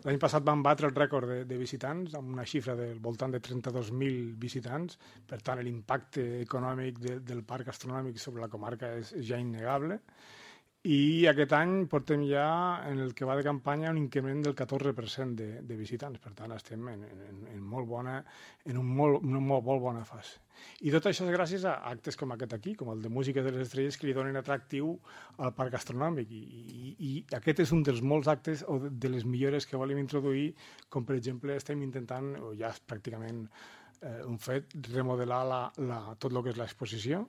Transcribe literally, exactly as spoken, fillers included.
L'any passat vam batre el rècord de, de visitants, amb una xifra del voltant de trenta-dos mil visitants. Per tant, l'impacte econòmic de, del parc gastronòmic sobre la comarca és, és ja innegable. I aquest any portem ja, en el que va de campanya, un increment del catorze per cent de, de visitants. Per tant, estem en, en, en, molt bona, en un molt, una molt, molt bona fase. I tot això és gràcies a actes com aquest aquí, com el de Música de les Estrelles, que li donen atractiu al parc gastronòmic. I, i, i aquest és un dels molts actes o de les millores que volem introduir, com per exemple estem intentant, o ja és pràcticament eh, un fet, remodelar la, la, tot el que és l'exposició.